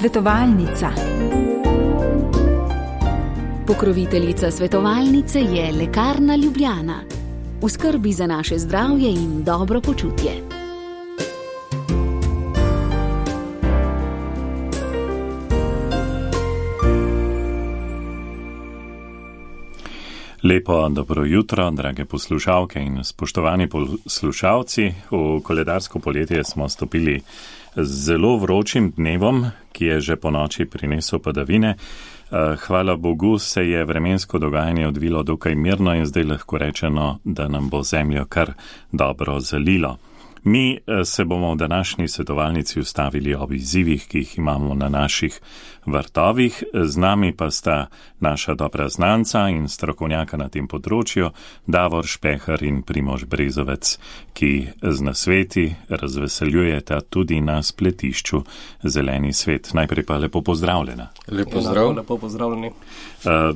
Svetovalnica. Pokroviteljica svetovalnice je Lekarna Ljubljana. V skrbi za naše zdravje in dobro počutje. Lepo dobro jutro, drage poslušalke in spoštovani poslušalci. V koledarsko poletje smo stopili z zelo vročim dnevom, ki je že po noči prinesel padavine. Hvala Bogu se je vremensko dogajanje odvilo dokaj mirno in zdaj lahko rečeno, da nam bo zemljo kar dobro zalilo. Mi se bomo v današnji svetovalnici ustavili ob izzivih, ki jih imamo na naših vrtovih. Z nami pa sta naša dobra znanca in strokovnjaka na tem področju, Davor Špehar in Primož Brezovec, ki z nasveti razveseljujeta tudi na spletišču Zeleni svet. Najprej pa lepo pozdravljena. Lepo zdrav. Lepo pozdravljeni.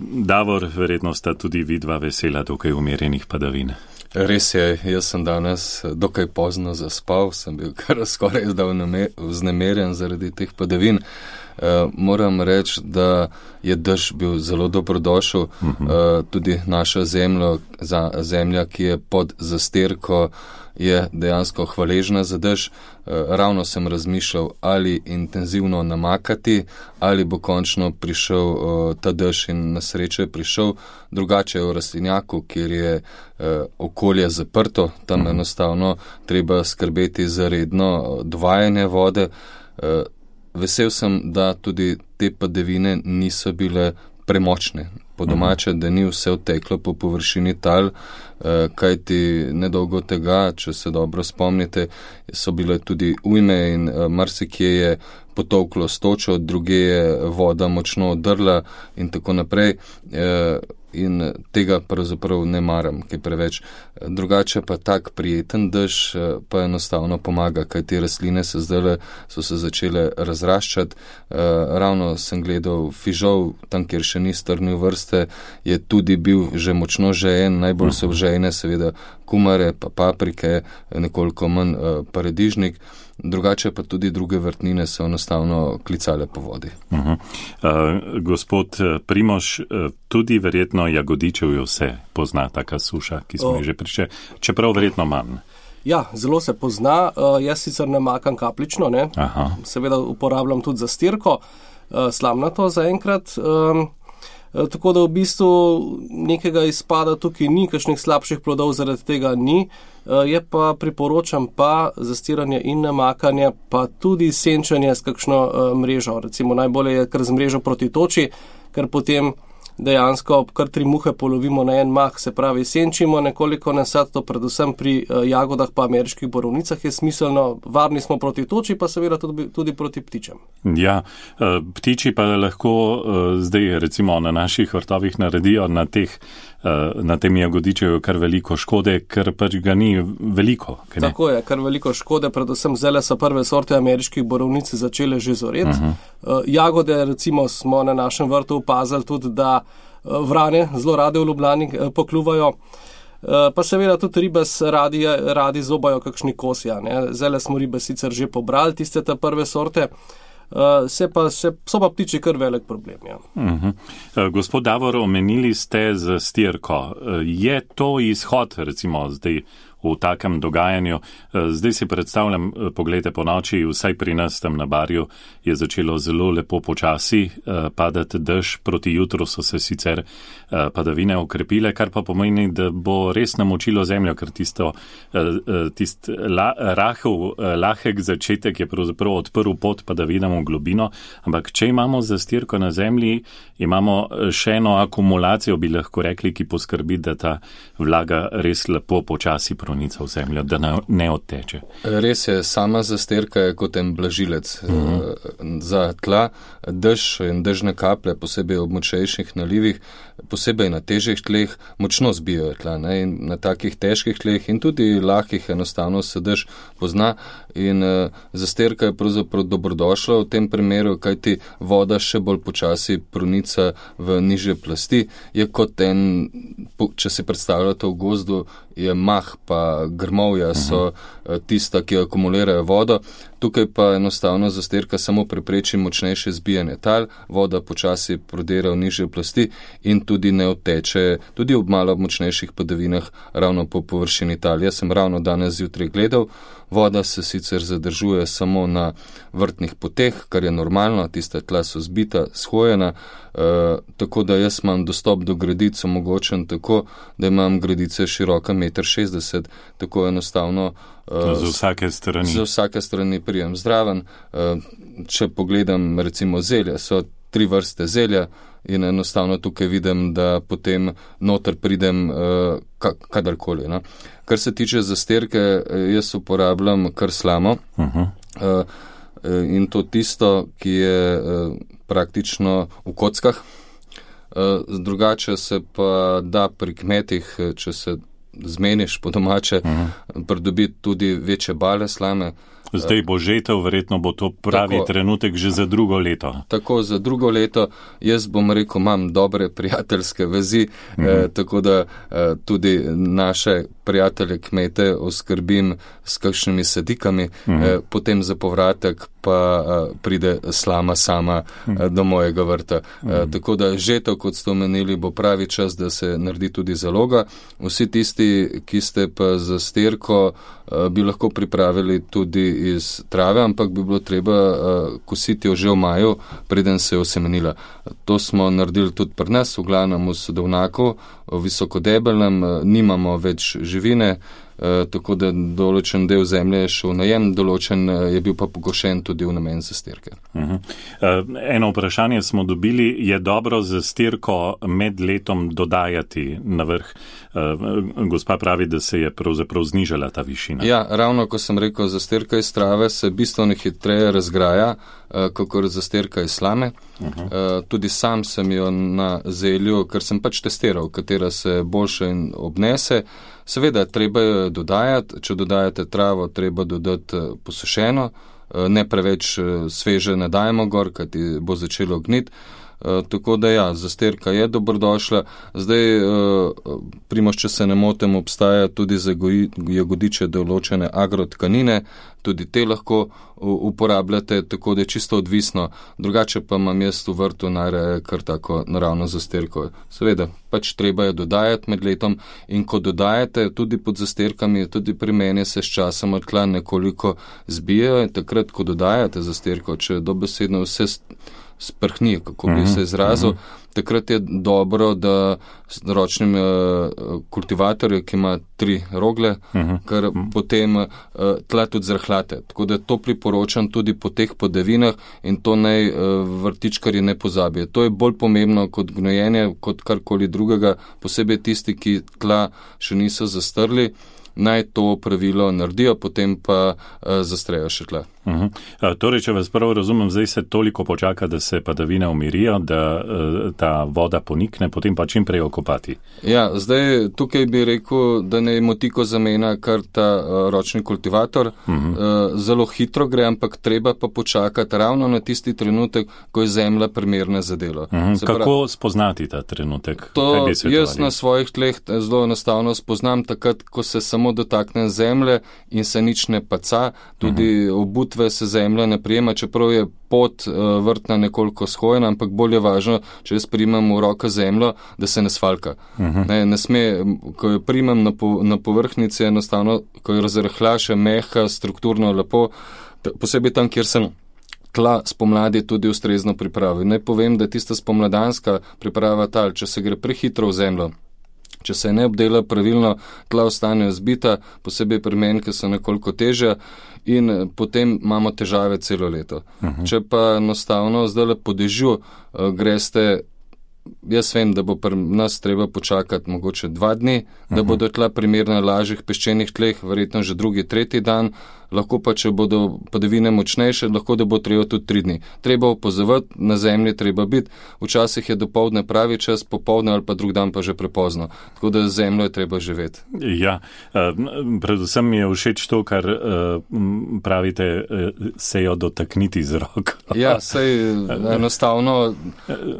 Davor, verjetno sta tudi vidva vesela dokaj umirjenih padavin. Res je, jaz sem danes dokaj pozno zaspal, sem bil kar skoraj vznemirjen zaradi teh padavin. Moram reči, da je dež bil zelo dobrodošel, tudi naša zemlja, ki je pod zastirko, je dejansko hvaležna za dež. Ravno sem razmišljal, ali intenzivno namakati, ali bo končno prišel ta dež in na srečo je prišel. Drugače je v rastlinjaku, kjer je okolje zaprto, tam enostavno treba skrbeti za redno dvajanje vode. Vesel sem, da tudi te padavine niso bile premočne. Po domače, da ni vse odteklo po površini tal, kajti nedolgo tega, če se dobro spomnite, so bile tudi ujme in marsikje je potolklo s točo, druge je voda močno odrla in tako naprej. In tega pravzaprav ne maram, kaj preveč. Drugače pa tak prijeten dež pa enostavno pomaga, kaj te rastline so se začele razraščati. Ravno sem gledal fižol, tam kjer še ni strnil vrste, je tudi bil že močno žejen, najbolj so žejene seveda kumare, pa paprike, nekoliko manj paradižnik. Drugače pa tudi druge vrtnine so enostavno klicale po vodi. Gospod Primož, tudi verjetno jagodičevjo se pozna taka suša, ki smo že prišli, čeprav verjetno manj. Ja, zelo se pozna. Jaz sicer ne makam kaplično, ne? Seveda uporabljam tudi za stirko, slamnato zaenkrat. Tako da v bistvu nekega izpada tukaj ni, kakšnih slabših plodov zaradi tega ni, je pa priporočam pa zastiranje in namakanje, pa tudi senčanje s kakšno mrežo. Recimo najbolje je kar z mrežo proti toči, ker potem dejansko kar 3 muhe polovimo na en mah, se pravi senčimo nekoliko nasad, to predvsem pri jagodah pa ameriških borovnicah je smiselno, varni smo proti toči, pa seveda tudi proti ptičem. Ja, ptiči pa lahko zdaj recimo na naših vrtovih naredijo na tem jagodičeju kar veliko škode, ker pač ga ni veliko. Tako je, kar veliko škode, predvsem zdaj so prve sorte ameriških borovnic začele že zoreti. Jagode recimo smo na našem vrtu opazili tudi, da vrane zelo rade v Ljubljani pokljuvajo, pa seveda tudi ribes radi zobajo kakšni kosja. Zdaj smo ribe sicer že pobrali, tiste te prve sorte, so pa ptiči kar velik problem. Ja. Gospod Davor, omenili ste za stirko. Je to izhod recimo zdaj v takem dogajanju? Zdaj si predstavljam, pogledajte po noči, vsaj pri nas tam na Barju je začelo zelo lepo počasi padati dež, proti jutru so se sicer padavine okrepile, kar pa pomeni, da bo res namočilo zemljo, ker lahek začetek je pravzaprav odprl pot padavinam v globino, ampak če imamo zastirko na zemlji, imamo še eno akumulacijo, bi lahko rekli, ki poskrbi, da ta vlaga res lepo počasi v zemljo, da ne odteče. Res je, sama zastirka je kot en blažilec za tla. Dež in dežne kaplje, posebej ob močnejših nalivih, posebej na težjih tleh, močno zbijajo tla. In na takih težkih tleh in tudi lahkih enostavno se dež pozna in zastirka je pravzaprav dobrodošla v tem primeru, kajti voda še bolj počasi pronica v nižje plasti. Je kot če si predstavljate v gozdu, je mah pa grmovja so tista, ki akumulirajo vodo. Tukaj pa enostavno zastirka samo prepreči močnejše zbijanje tal, voda počasi prodira v nižje plasti in tudi ne odteče, tudi ob malo močnejših padavinah ravno po površini tal. Jaz sem ravno danes zjutraj gledal, voda se sicer zadržuje samo na vrtnih poteh, kar je normalno, tista tla so zbita, shojena, tako da jaz imam dostop do gredic omogočen tako, da imam gredice široka 1,60 m, tako enostavno. Za vsake strani. Za vsake strani prijem zdraven. Če pogledam recimo zelje, so 3 vrste zelja in enostavno tukaj vidim, da potem noter pridem kadarkoli. No? Kar se tiče zastirke, jaz uporabljam kar slamo. In to tisto, ki je praktično v kockah. Drugače se pa da pri kmetih, če se zmeniš po domače, pridobiti tudi večje bale slame. Zdaj bo žetev, verjetno bo to pravi trenutek že za drugo leto. Tako, za drugo leto. Jaz bom rekel, imam dobre prijateljske vezi, tako da tudi naše prijatelje kmete oskrbim s kakšnimi sadikami, potem za povratek pa pride slama sama do mojega vrta. Tako da žetev, kot ste omenili, bo pravi čas, da se naredi tudi zaloga. Vsi tisti, ki ste pa za stirko, bi lahko pripravili tudi iz trave, ampak bi bilo treba kositi jo že v maju, preden se je osemenila. To smo naredili tudi pri nas, v glavnem v Sodovnaku, v visokodebelnem, nimamo več živine, tako da določen del zemlje je šel v najem, določen je bil pa pokošen tudi v namen zastirke. Eno vprašanje smo dobili, je dobro zastirko med letom dodajati na vrh? Gospa pravi, da se je pravzaprav znižala ta višina. Ja, ravno ko sem rekel, zastirka iz trave se bistveno hitreje razgraja, kakor zastirka iz slame. Tudi sam sem jo na zelju, ker sem pač testiral, katera se boljše obnese. Seveda, treba jo dodajati, če dodajate travo, treba dodati posušeno, ne preveč sveže ne dajemo gor, kajti bo začelo gniti. Tako da ja, zastirka je dobrodošla. Zdaj, Primož, če se ne motim, obstaja tudi za jagodiče določene agrotkanine, tudi te lahko uporabljate, tako da je čisto odvisno. Drugače pa imam jaz v vrtu najraje kar tako naravno zastirko. Seveda, pač treba je dodajati med letom in ko dodajate tudi pod zastirkami, tudi pri meni se s časom tla nekoliko zbijajo in takrat, ko dodajate zastirko, če dobesedno vse sprhni, kako bi se izrazil, takrat je dobro, da s ročnim kultivatorjem, ki ima 3 rogle, ker potem tla tudi zrhlate. Tako da to priporočam tudi po teh podavinah in to naj vrtičkarji ne pozabijo. To je bolj pomembno kot gnojenje, kot karkoli drugega, posebej tisti, ki tla še niso zastrli, naj to pravilo naredijo, potem pa zastrejo še tla. Torej, če vas prvo razumem, zdaj se toliko počaka, da se padavine umirijo, da ta voda ponikne, potem pa čim prej okopati. Ja, zdaj tukaj bi rekel, da ne motiko zamena kar ta ročni kultivator. Zelo hitro gre, ampak treba pa počakati ravno na tisti trenutek, ko je zemlja primerna za delo. Kako spoznati ta trenutek? To jaz na svojih tleh zelo enostavno spoznam takrat, ko se samo dotaknem zemlje in se nič ne paca, tudi obutve se zemlja ne prijema, čeprav je pot vrtna nekoliko shojena, ampak bolj je važno, če jaz primem v roke zemljo, da se ne svalka. Ne sme, ko jo primem na povrhnici, enostavno, ko jo razrahla še mehka, strukturno lepo, posebej tam, kjer sem tla spomladi tudi ustrezno pripravil. Naj povem, da je tista spomladanska priprava tal, če se gre prehitro v zemljo, če se ne obdela pravilno, tla ostanejo zbita, posebej pri meni, ki so nekoliko težja in potem imamo težave celo leto. Če pa enostavno zdaj po dežju greste, jaz vem, da bo pri nas treba počakati mogoče 2 dni, da bodo tla primerna na lažjih peščenih tleh, verjetno že 2., 3. dan, lahko pa, če bodo padavine močnejše, lahko da bo treba tudi 3 dni. Treba opazovati, na zemlji treba biti, včasih je dopoldne pravi čas, popoldne ali pa drug dan pa že prepozno. Tako da zemljo je treba živeti. Ja, predvsem mi je všeč to, kar pravite, se jo dotakniti z rok. Ja, sej enostavno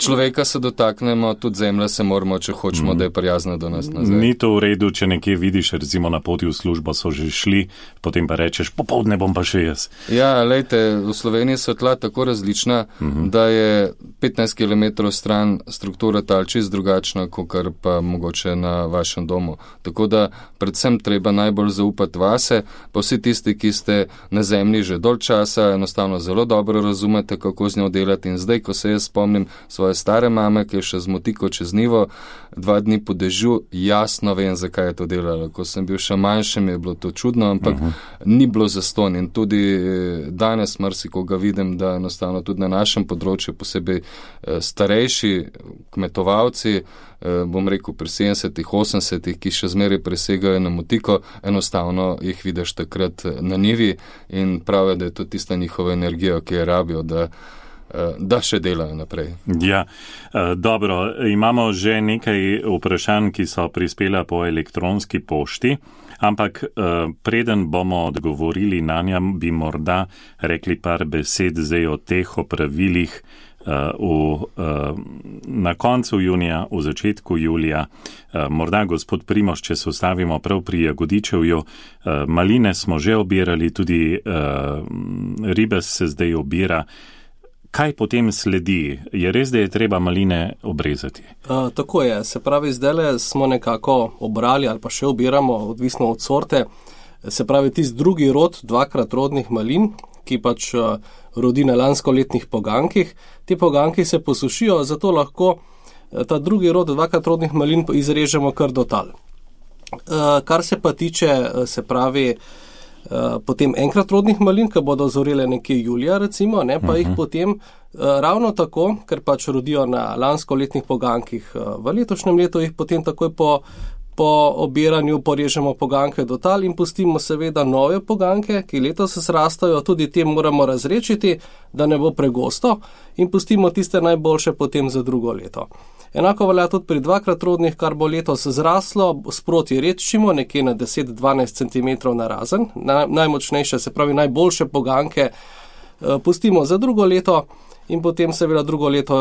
človeka se dotaknemo, tudi zemlja se moramo, če hočemo, da je prijazna do nas nazaj. Ni to v redu, če nekje vidiš, recimo na poti v službo so že šli, potem pa rečeš, popoldne bom pa še jaz. Ja, lejte, v Sloveniji so tla tako različna, da je 15 km stran struktura tal čist drugačna, kot pa mogoče na vašem domu. Tako da predvsem treba najbolj zaupati vase, pa vsi tisti, ki ste na zemlji že dolg časa, enostavno zelo dobro razumete, kako z njo delati. In zdaj, ko se jaz spomnim svoje stare mame, ki je še z motiko čez nivo, 2 dni po dežju, jasno vem, zakaj je to delala. Ko sem bil še manjši, mi je bilo to čudno, ampak ni bilo zastonj. In tudi danes marsikoga vidim, da enostavno tudi na našem področju, posebej starejši kmetovalci, bom rekel pri 70-ih, 80-ih, ki še zmeraj presegajo na motiko, enostavno jih vidiš takrat na nivi in pravijo, da je to tista njihova energija, ki jo rabijo, da še delajo naprej. Ja, dobro, imamo že nekaj vprašanj, ki so prispela po elektronski pošti, ampak preden bomo odgovorili na nja, bi morda rekli par besed zdaj o teh opravilih na koncu junija, v začetku julija. Morda gospod Primož, če se ustavimo prav pri Jagodičevju, maline smo že obirali, tudi ribes se zdaj obira. Kaj potem sledi? Je res, da je treba maline obrezati? Tako je. Se pravi, zdajle smo nekako obrali ali pa še obiramo, odvisno od sorte. Se pravi, tisti drugi rod 2-krat rodnih malin, ki pač rodi na lanskoletnih pogankih. Ti poganki se posušijo, zato lahko ta drugi rod 2-krat rodnih malin izrežemo kar do tal. Kar se pa tiče, se pravi, potem enkrat rodnih malin, ki bodo zorele nekje julija, recimo, ne, pa jih potem ravno tako, ker pač rodijo na lanskoletnih pogankih v letošnjem letu, jih potem takoj po obiranju porežemo poganke do tal in pustimo seveda nove poganke, ki letos zrastajo, tudi te moramo razrečiti, da ne bo pregosto, in pustimo tiste najboljše potem za drugo leto. Enako velja tudi pri 2-krat rodnih, kar bo letos zraslo, sproti redčimo, nekje na 10-12 cm narazen. Najmočnejše, se pravi najboljše poganke, pustimo za drugo leto in potem seveda drugo leto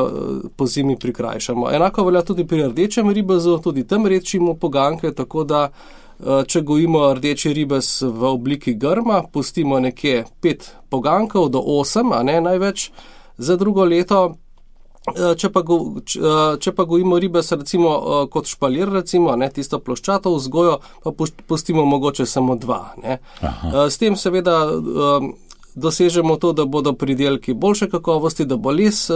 po zimi prikrajšamo. Enako velja tudi pri rdečem ribezu, tudi tam redčimo poganke, tako da če gojimo rdeči ribez v obliki grma, pustimo nekje 5 pogankov do 8, a ne največ, za drugo leto. Če pa gojimo ribez recimo kot špalir, recimo, ne, tisto ploščato vzgojo, pa pustimo mogoče samo 2. Ne. S tem seveda dosežemo to, da bodo pridelki boljše kakovosti, da bo les,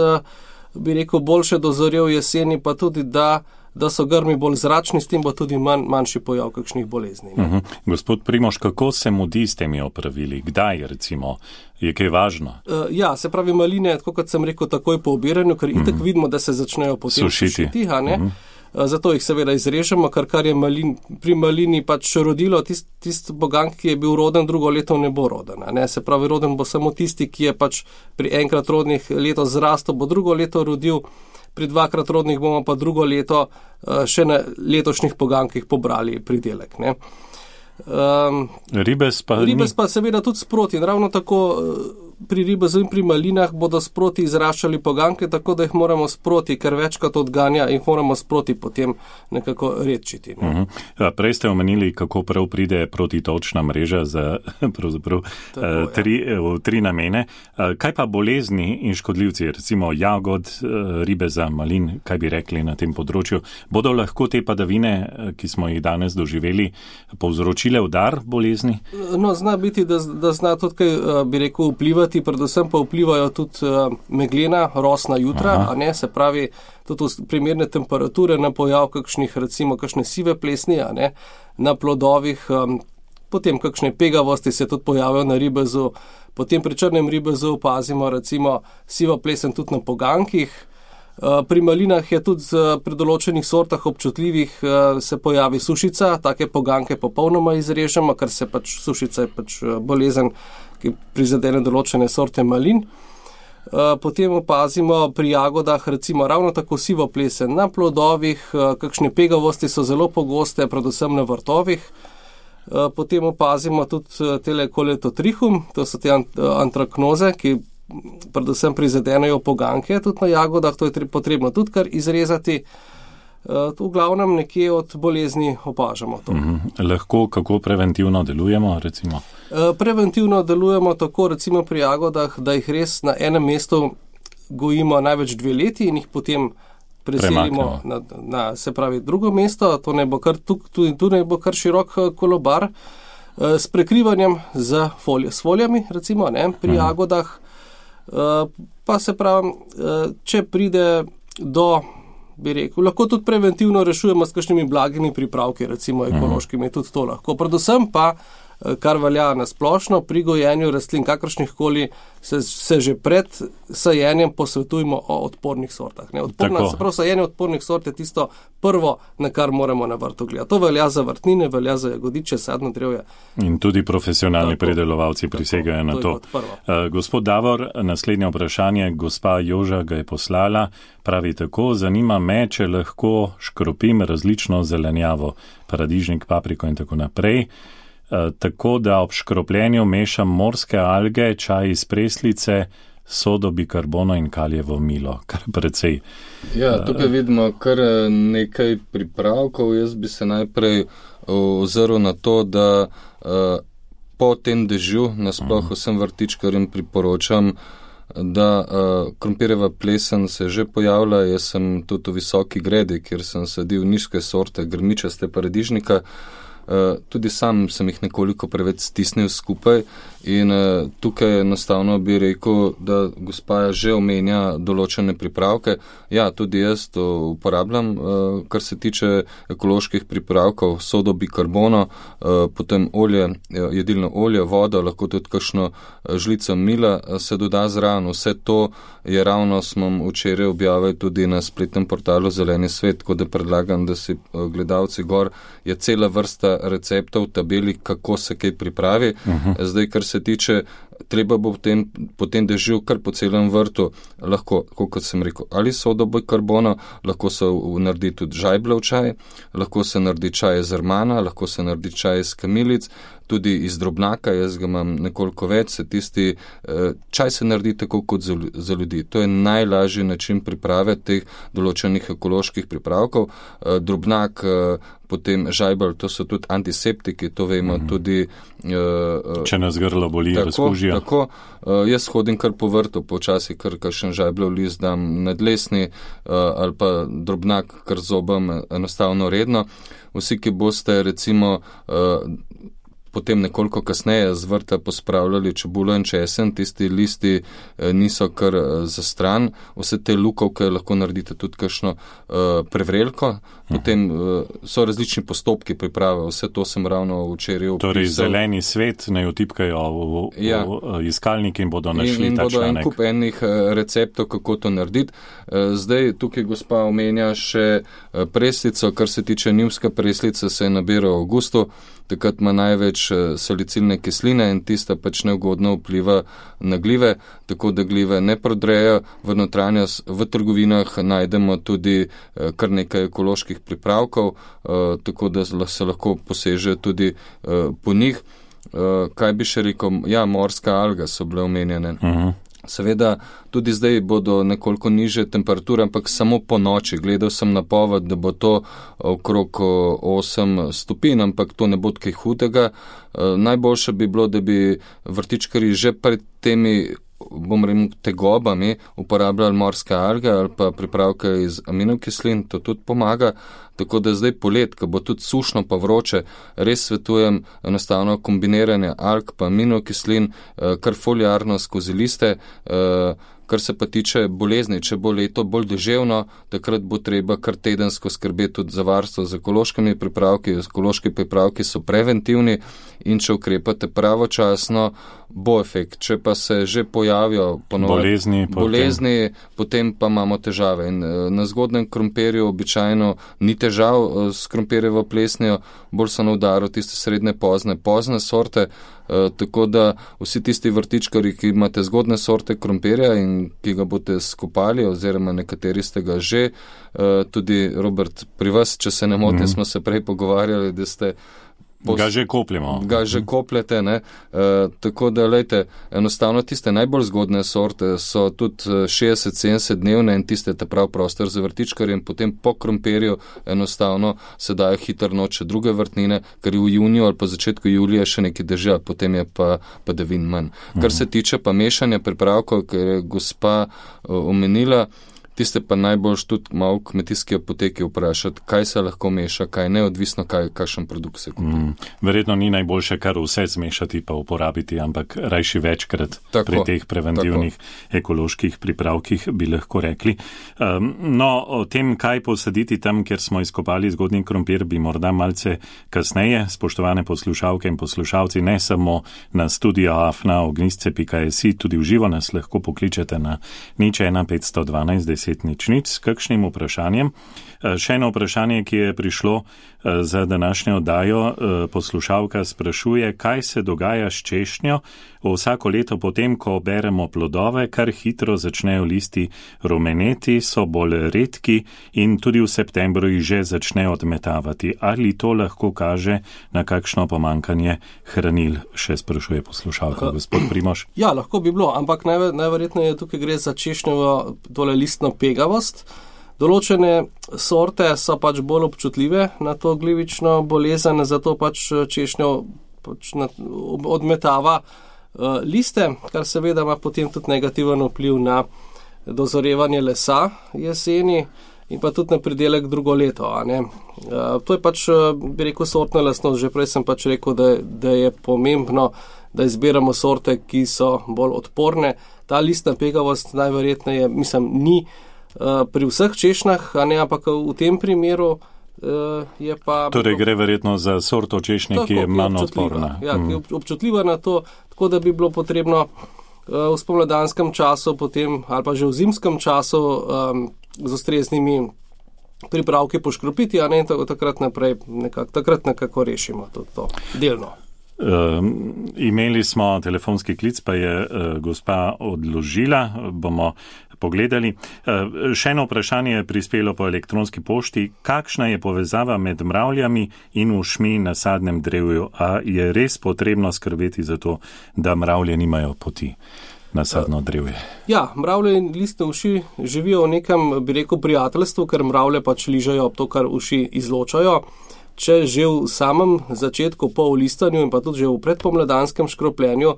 bi rekel, boljše dozorel jeseni, pa tudi da so grmi bolj zračni, s tem bo tudi manjši pojav kakšnih bolezni. Gospod Primož, kako se mudi s temi opravili? Kdaj, recimo, je kaj važno? Ja, se pravi maline, tako kot sem rekel, takoj po obiranju, ker itak vidimo, da se začnejo potem sušiti. Zato jih seveda izrežemo, kar je pri malini pač rodilo, tist pogank, ki je bil roden, drugo leto ne bo roden. Ne? Se pravi, roden bo samo tisti, ki je pač pri enkrat rodnih letos zrastel, bo drugo leto rodil, pri 2-krat rodnih bomo pa drugo leto še na letošnjih pogankih pobrali pridelek. Ne? Ribez pa seveda tudi sproti. Ravno tako pri ribezu in pri malinah bodo sproti izraščali poganke, tako da jih moramo sproti, ker večkrat odganja, jih moramo sproti potem nekako redčiti. Ne? Prej ste omenili, kako prav pride protitočna mreža za pravzaprav 3 namene. Kaj pa bolezni in škodljivci, recimo jagod, ribeza, malin, kaj bi rekli na tem področju? Bodo lahko te padavine, ki smo jih danes doživeli, povzročile udar bolezni? No, zna biti, da zna tudi kaj, bi rekel, vplivati, predvsem pa vplivajo tudi meglena, rosna jutra, a ne, se pravi, tudi primerne temperature na pojav kakšne sive plesni, a ne, na plodovih, potem kakšne pegavosti se tudi pojavijo na ribezu, potem pri črnem ribezu opazimo recimo sivo plesen tudi na pogankih. Pri malinah je tudi pri določenih sortah občutljivih se pojavi sušica, take poganke popolnoma izrežemo, ker se pač sušica je pač bolezen, ki prizadene določene sorte malin. Potem opazimo pri jagodah recimo ravno tako sivo plesen na plodovih, kakšne pegavosti so zelo pogoste, predvsem na vrtovih. Potem opazimo tudi tele koletotrichum, to so te antraknoze, ki predvsem prizadenejo poganke tudi na jagodah, to je potrebno tudi kar izrezati. v glavnem nekje od bolezni opažamo to. Lahko kako preventivno delujemo, recimo? Preventivno delujemo tako, recimo pri jagodah, da jih res na enem mestu gojimo največ 2 leti in jih potem preselimo na se pravi drugo mesto, to ne bo kar tu ne bo kar širok kolobar, s prekrivanjem z folijami, recimo, ne, pri jagodah, pa se pravi, če pride do, bi rekel, lahko tudi preventivno rešujemo s kakšnimi blagimi pripravki, recimo ekološkimi, tudi to lahko. Predvsem pa, kar velja na splošno, pri gojenju rastlin kakršnih koli se že pred sajenjem posvetujemo o odpornih sortah. Se pravi, sajenje odpornih sort je tisto prvo, na kar moramo na vrtu gledati. To velja za vrtnine, velja za jagodiče, sadno drevje. In tudi profesionalni pridelovalci prisegajo na to. Gospod Davor, naslednje vprašanje, gospa Joža ga je poslala, pravi tako, zanima me, če lahko škropim različno zelenjavo, paradižnik, papriko in tako naprej, tako da ob škropljenju mešam morske alge, čaj iz preslice, sodo bikarbono in kaljevo milo, kar precej. Ja, tukaj vidimo kar nekaj pripravkov. Jaz bi se najprej ozrl na to, da po tem dežju nasploh vsem vrtičkarjem priporočam, da krompirjeva plesen se že pojavlja. Jaz sem tudi v visoki gredi, kjer sem sadil nižke sorte grmičaste paradižnika. Tudi sam sem jih nekoliko preveč stisnil skupaj in tukaj enostavno bi rekel, da gospa že omenja določene pripravke. Ja, tudi jaz to uporabljam, kar se tiče ekoloških pripravkov, sodo bikarbono, potem olje, jedilno olje, vodo, lahko tudi kakšno žlico mila se doda zraven. Vse to je ravno, smo včeraj objavili tudi na spletnem portalu Zeleni svet, tako da predlagam, da si gledalci gor, je cela vrsta receptov v tabeli, kako se kaj pripravi. Zdaj, kar se tiče, treba bo potem dežil kar po celem vrtu, lahko, kot sem rekel, ali sodo bikarbono, lahko se naredi tudi žajbljev čaj, lahko se naredi čaj iz rmana, lahko se naredi čaj iz kamilic, tudi iz drobnaka, jaz ga imam nekoliko več, čaj se naredi tako kot za ljudi. To je najlažji način priprave teh določenih ekoloških pripravkov. Drobnak, potem žajbelj, to so tudi antiseptiki, to vemo tudi. Če nas grlo boli, razkužijo. Tako, jaz hodim kar po vrtu, počasi kar kakšen žajbljev list dam na dlesni ali pa drobnak kar zobam enostavno redno. Vsi, ki boste recimo potem nekoliko kasneje z vrta pospravljali čebulo in česen, tisti listi niso kar za stran, vse te lukovke lahko naredite tudi kakšno prevrelko, potem so različni postopki priprave, vse to sem ravno včeraj opisal. Torej zeleni svet naj utipkajo v iskalnik in bodo našli in ta bodo članek. En kup enih receptov, kako to narediti. Zdaj tukaj gospa omenja še preslico, kar se tiče njivska preslica, se nabira v avgustu, takrat ima največ salicilne kisline in tista pač neugodno vpliva na glive, tako da glive ne prodrejo v notranjost. V trgovinah najdemo tudi kar nekaj ekoloških pripravkov, tako da se lahko poseže tudi po njih. Kaj bi še rekel? Ja, morska alga so bile omenjene. Seveda, tudi zdaj bodo nekoliko niže temperature, ampak samo po noči. Gledal sem napoved, da bo to okrog 8 stopinj, ampak to ne bo kaj hudega. Najboljše bi bilo, da bi vrtičkarji že pred temi, bom rekel, tegobami uporabljali morske alge ali pa pripravke iz aminokislin, to tudi pomaga. Tako da zdaj polet, ko bo tudi sušno pa vroče, res svetujem enostavno kombiniranje alg pa aminokislin, kar foliarno skozi liste. Kar se pa tiče bolezni, če bo leto bolj deževno, takrat bo treba kar tedensko skrbeti tudi za varstvo z ekološkimi pripravki. Ekološki pripravki so preventivni in če ukrepate pravočasno, bo efekt. Če pa se že pojavijo bolezni, potem pa imamo težave. In na zgodnem krompirju običajno ni težav s krompirjevo plesnijo, bolj so na udaru tiste srednje pozne sorte. Tako da vsi tisti vrtičkari, ki imate zgodne sorte krompirja in ki ga boste skopali, oziroma nekateri ste ga že, tudi Robert, pri vas, če se ne motim, smo se prej pogovarjali, da ste Ga že kopljemo. Ga že kopljete, ne. Tako da, lejte, enostavno tiste najbolj zgodne sorte so tudi 60-70 dnevne in tiste ta prav prostor za vrtičkarje in potem po krompirju enostavno se dajo hitro noče druge vrtnine, ker v juniju ali pa začetku julija še nekaj dežja, potem je pa padavin manj. Kar se tiče pa mešanja pripravkov, ker je gospa omenila, tiste pa najbolj tudi malo v kmetijski apoteki vprašati, kaj se lahko meša, kaj ne, odvisno kakšen produkt se kupi. Verjetno ni najboljše kar vse zmešati pa uporabiti, ampak rajši večkrat pri teh preventivnih ekoloških pripravkih bi lahko rekli. No, o tem, kaj posaditi tam, kjer smo izkopali zgodnji krompir, bi morda malce kasneje, spoštovane poslušalke in poslušalci, ne samo na studio afna.ognisce.si, tudi v živo nas lahko pokličete na 01512 10 s kakšnim vprašanjem. Še eno vprašanje, ki je prišlo za današnjo oddajo, poslušalka sprašuje, kaj se dogaja s češnjo vsako leto potem, ko beremo plodove, kar hitro začnejo listi rumeneti, so bolj redki in tudi v septembru jih že začnejo odmetavati. Ali to lahko kaže na kakšno pomankanje hranil, še sprašuje poslušalka, gospod Primož? Ja, lahko bi bilo, ampak najverjetneje tukaj gre za češnjevo tole listno pegavost. Določene sorte so pač bolj občutljive na to glivično bolezen, zato pač češnjo odmetava liste, kar seveda ima potem tudi negativen vpliv na dozorevanje lesa jeseni in pa tudi na pridelek drugo leto. To je pač, bi rekel, sortna lastnost. Že prej sem pač rekel, da je pomembno, da izbiramo sorte, ki so bolj odporne. Ta listna pegavost najverjetneje, ni pri vseh češnjah, ampak v tem primeru je pa... Torej gre verjetno za sorto češnje, ki je manj odporna. Ja, ki je občutljiva na to, tako da bi bilo potrebno v spomladanskem času potem, ali pa že v zimskem času z ustreznimi pripravki poškropiti, in takrat naprej nekako rešimo to delno. Imeli smo telefonski klic, pa je gospa odložila, bomo pogledali. Še eno vprašanje je prispelo po elektronski pošti. Kakšna je povezava med mravljami in ušmi na sadnem drevju? A je res potrebno skrbeti za to, da mravlje nimajo poti na sadno drevje? Ja, mravlje in listne uši živijo v nekem, bi rekel, prijateljstvu, ker mravlje pač ližajo to, kar uši izločajo. Če že v samem začetku po listanju in pa tudi že v predpomladanskem škropljenju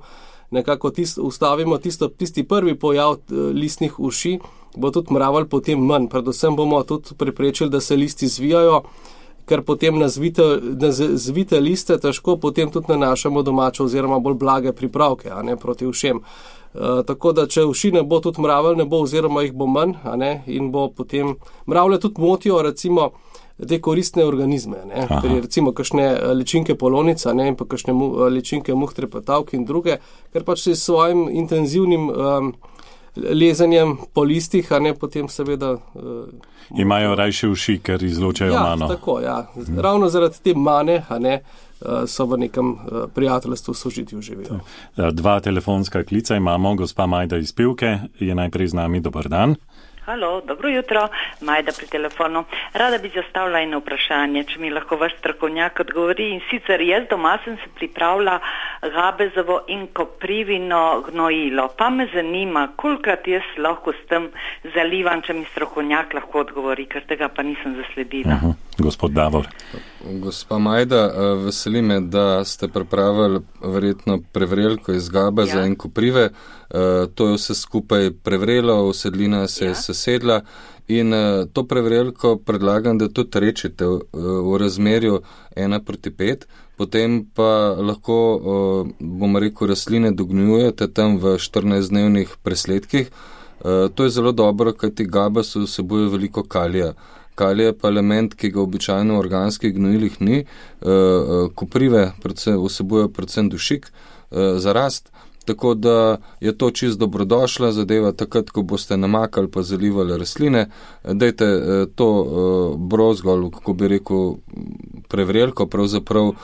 nekako ustavimo tisti prvi pojav listnih uši, bo tudi mravelj potem manj. Predvsem bomo tudi preprečili, da se listi zvijajo, ker potem na zvite liste težko potem tudi nanašamo domače oziroma bolj blage pripravke, proti ušem. Tako da, če uši ne bo, tudi mravelj ne bo oziroma jih bo manj, in bo potem mravlje tudi motijo, recimo, te koristne organizme, recimo kakšne ličinke polonica, in pa kakšne ličinke muh trepetavk in druge, ker pač s svojim intenzivnim lezanjem po listih, potem seveda... Imajo rajše uši, ker izločajo mano. Ja, tako, ja. Ravno zaradi te mane, so v nekem prijateljstvu sožitju živijo. Dva telefonska klica imamo, gospa Majda iz Pivke je najprej z nami, dober dan. Halo, dobro jutro, Majda pri telefonu. Rada bi zastavila eno vprašanje, če mi lahko vaš strokovnjak odgovori. In sicer jaz doma sem se pripravila gabezovo in koprivino gnojilo. Pa me zanima, kolikrat jaz lahko s tem zalivam, če mi strokovnjak lahko odgovori, ker tega pa nisem zasledila. Gospod Davor. Gospa Majda, veseli me, da ste pripravili verjetno prevrelko iz gabeza in koprive. To je vse skupaj prevrelo, usedlina se je sesedla in to prevrelko predlagam, da tudi rečete v razmerju 1:5, potem pa lahko, bomo rekel, rastline dognjujete tam v 14-dnevnih presledkih. To je zelo dobro, kajti gabas vsebuje veliko kalija. Kalij je pa element, ki ga običajno v organskih gnojilih ni. Koprive vsebujejo predvsem dušik za rast. Tako da je to čisto dobrodošla zadeva, takrat, ko boste namakali pa zalivali rastline. Dajte to brozgol, kako bi rekel, prevrelko, pravzaprav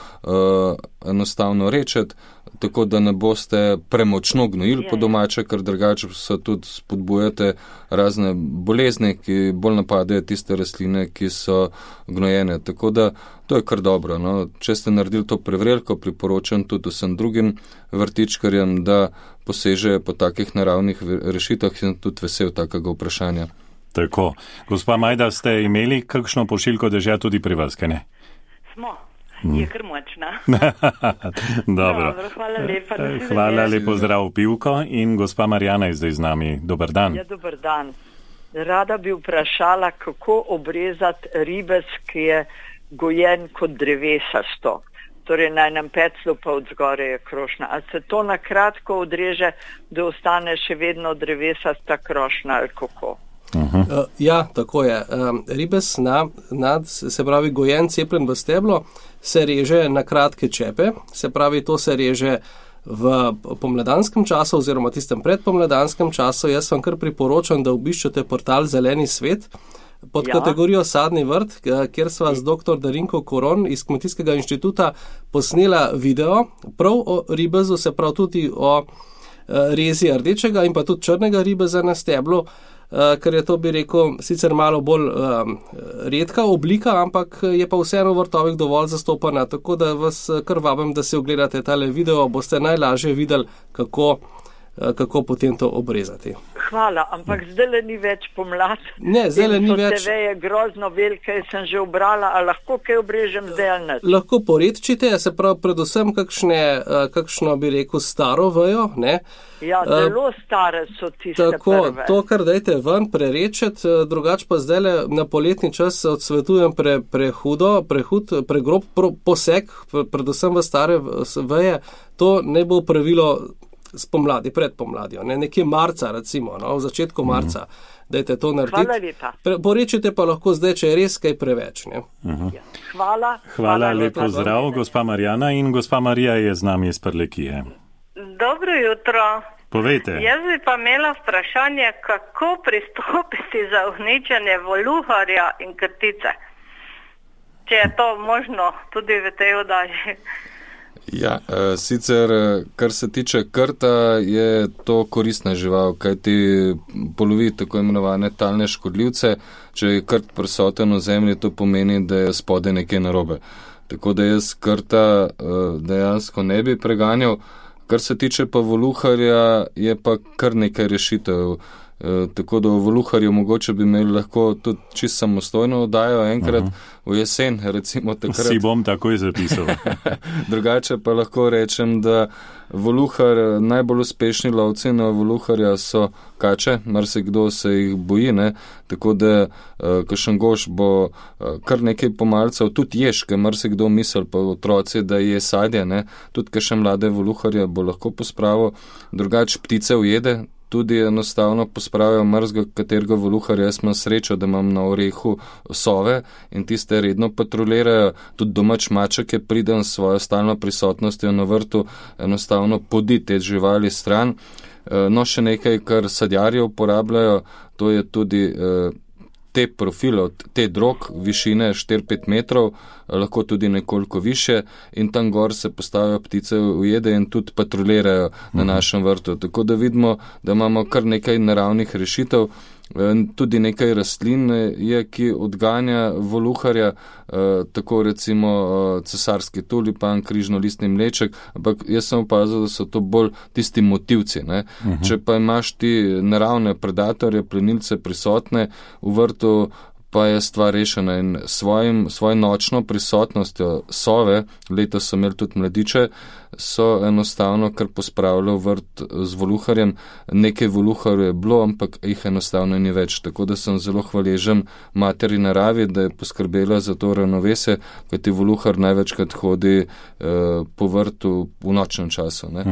enostavno rečeti, tako da ne boste premočno gnojili po domače, ker drugače se tudi spodbujate razne bolezni, ki bolj napadajo tiste rastline, ki so gnojene. Tako da to je kar dobro. No. Če ste naredili to prevrelko, priporočam tudi vsem drugim vrtičkarjem, da posežejo po takih naravnih rešitvah in tudi vesel takega vprašanja. Tako. Gospa Majda, ste imeli kakšno pošiljko dežja tudi pri vas, kaj ne? Smo. Je kar močna. Dobro. Hvala lepa. Hvala, lepo zdrav Pivko in gospa Marjana je zdaj z nami. Dober dan. Ja, dober dan. Rada bi vprašala, kako obrezati ribez, ki je gojen kot drevesasto. Torej na enem peclu pa od zgore je krošnja. A se to na kratko odreže, da ostane še vedno drevesasta krošnja ali kako? Ja, tako je. Ribez, se pravi gojen, cepljen v steblo, se reže na kratke čepe, se pravi, to se reže v pomladanskem času oziroma tistem predpomladanskem času. Jaz vam kar priporočam, da obiščete portal Zeleni svet pod kategorijo Sadni vrt, kjer sva z dr. Darinko Koron iz Kmetijskega inštituta posnela video prav o ribezu, se pravi tudi o rezi rdečega in pa tudi črnega ribeza na steblu, ker je to, bi rekel, sicer malo bolj redka oblika, ampak je pa vseeno v vrtovih dovolj zastopana, tako da vas kar vabim, da si ogledate tale video, boste najlažje videli, kako potem to obrezati. Hvala, ampak zdaj ni več pomlad. Ne, zdaj ni več. TV je grozno velike, sem že obrala, a lahko kaj obrežem zdaj ali ne? Lahko poredčite, se pravi predvsem kakšno, bi rekel, staro vejo, ne? Ja, zelo stare so tiste tako, prve. To, kar dajte ven, prerečet, drugač pa zdaj na poletni čas odsvetujem pregrob poseg, predvsem v stare veje, to ne bo pravilo spomladi, pred pomladjo, nekje marca recimo, v začetku marca, dajte to narediti. Hvala lepa. Porečite pa lahko zdaj, če je res kaj preveč. Ne? Hvala. Hvala, lepo zdrav, gospa Marjana in gospa Marija je z nami iz Prlekije. Dobro jutro. Povejte. Jaz bi pa imela vprašanje, kako pristopiti za uničenje voluharja in krtice. Če je to možno tudi v tej oddaji. Ja, sicer, kar se tiče krta, je to koristna žival, kajti polovi tako imenovane talne škodljivce. Če je krt prisoten v zemlji, to pomeni, da je spodaj nekaj narobe. Tako da jaz krta dejansko ne bi preganjal. Kar se tiče pa voluharja, je pa kar nekaj rešitev. Tako da v voluharju mogoče bi imeli lahko tudi čisto samostojno oddajo enkrat v jesen, recimo takrat. Si bom takoj zapisal. Drugače pa lahko rečem, da voluhar, najbolj uspešni lovci na voluharja so kače, marsikdo se jih boji, ne? Tako da kakšen goš bo kar nekaj pomalcev, tudi ješke, marsikdo misel pa otroci, da je sadje, ne? Tudi kakšen mlade voluharja bo lahko pospravil, drugače ptice ujede, tudi enostavno pospravijo mrzga katerega voluharja. Jaz imam srečo, da imam na orehu sove in tiste redno patrolirajo. Tudi domač maček je priden s svojo stalno prisotnostjo na vrtu, enostavno podi te živali stran. No, še nekaj, kar sadjarje uporabljajo, to je tudi te profile, te drog, višine 4-5 metrov, lahko tudi nekoliko više in tam gor se postavijo ptice ujede in tudi patrolirajo na našem vrtu. Tako da vidimo, da imamo kar nekaj naravnih rešitev, tudi nekaj rastlin je, ki odganja voluharja, tako recimo cesarski tulipan, križnolistni mleček, ampak jaz sem opazil, da so to bolj tisti motivci. Ne? Če pa imaš ti naravne predatorje, plenilce prisotne v vrtu, pa je stvar rešena in svojo nočno prisotnostjo sove, letos so imeli tudi mladiče, so enostavno kar pospravljali vrt z voluharjem. Nekaj voluharjev je bilo, ampak jih enostavno ni več. Tako da sem zelo hvaležen materi naravi, da je poskrbela za to ravnovesje, kajti voluhar največkrat hodi po vrtu v nočnem času. Ne?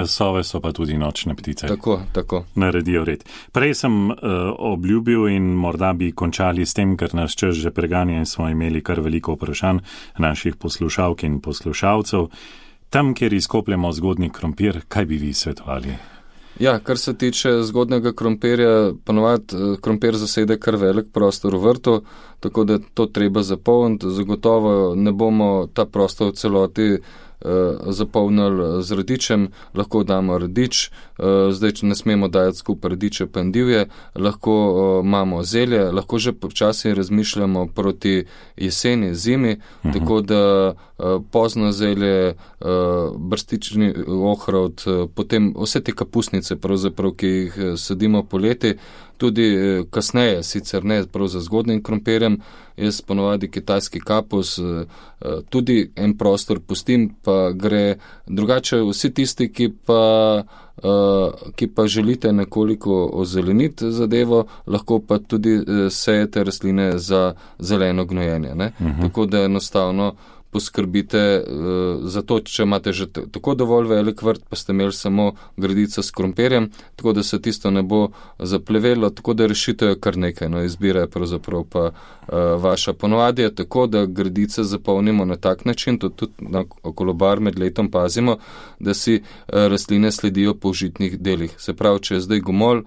Sove so pa tudi nočne ptice. Tako. Naredijo red. Prej sem obljubil in morda bi končali s tem, ker nas čas že preganja in smo imeli kar veliko vprašanj naših poslušalk in poslušalcev. Tam, kjer izkopljamo zgodnji krompir, kaj bi vi svetovali? Ja, kar se tiče zgodnega krompirja, ponovadi krompir zasede kar velik prostor v vrtu, tako da to treba zapolniti. Zagotovo ne bomo ta prostor v celoti zapolnili z radičem, lahko damo radič, zdaj, če ne smemo dajati skupaj radiče pa endivje, lahko imamo zelje, lahko že počasi razmišljamo proti jeseni, zimi, tako da pozno zelje, brstični ohrovt, potem vse te kapusnice, pravzaprav, ki jih sadimo poleti, tudi kasneje, sicer ne prav za zgodnjim krompirjem, jaz ponovadi kitajski kapus, tudi en prostor pustim, pa gre drugače vsi tisti, ki pa želite nekoliko ozeleniti zadevo, lahko pa tudi sejete rastline za zeleno gnojenje. Ne? Tako da enostavno poskrbite za to, če imate že tako dovolj velik vrt, pa ste imeli samo gredico s krompirjem, tako da se tisto ne bo zaplevelo, tako da rešitev je kar nekaj. No, izbira je pravzaprav pa vaša. Ponovadi je tako, da gredice zapolnimo na tak način, tudi na kolobar med letom pazimo, da si rastline sledijo po užitnih delih. Se pravi, če je zdaj gomolj,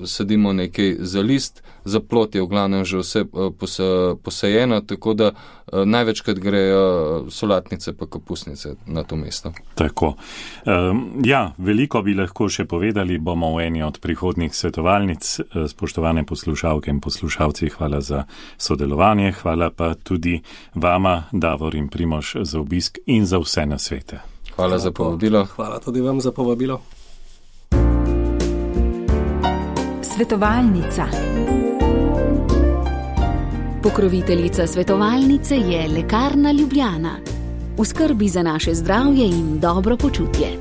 sadimo nekaj za list, za plot je v glavnem že vse posajeno, tako da največkrat grejo solatnice pa kapusnice na to mesto. Tako. Veliko bi lahko še povedali, bomo v eni od prihodnjih svetovalnic. Spoštovane poslušalke in poslušalci, hvala za sodelovanje, hvala pa tudi vama, Davor in Primož, za obisk in za vse nasvete. Hvala za povabilo. Hvala tudi vam za povabilo. Svetovalnica. Pokroviteljica svetovalnice je Lekarna Ljubljana. V skrbi za naše zdravje in dobro počutje.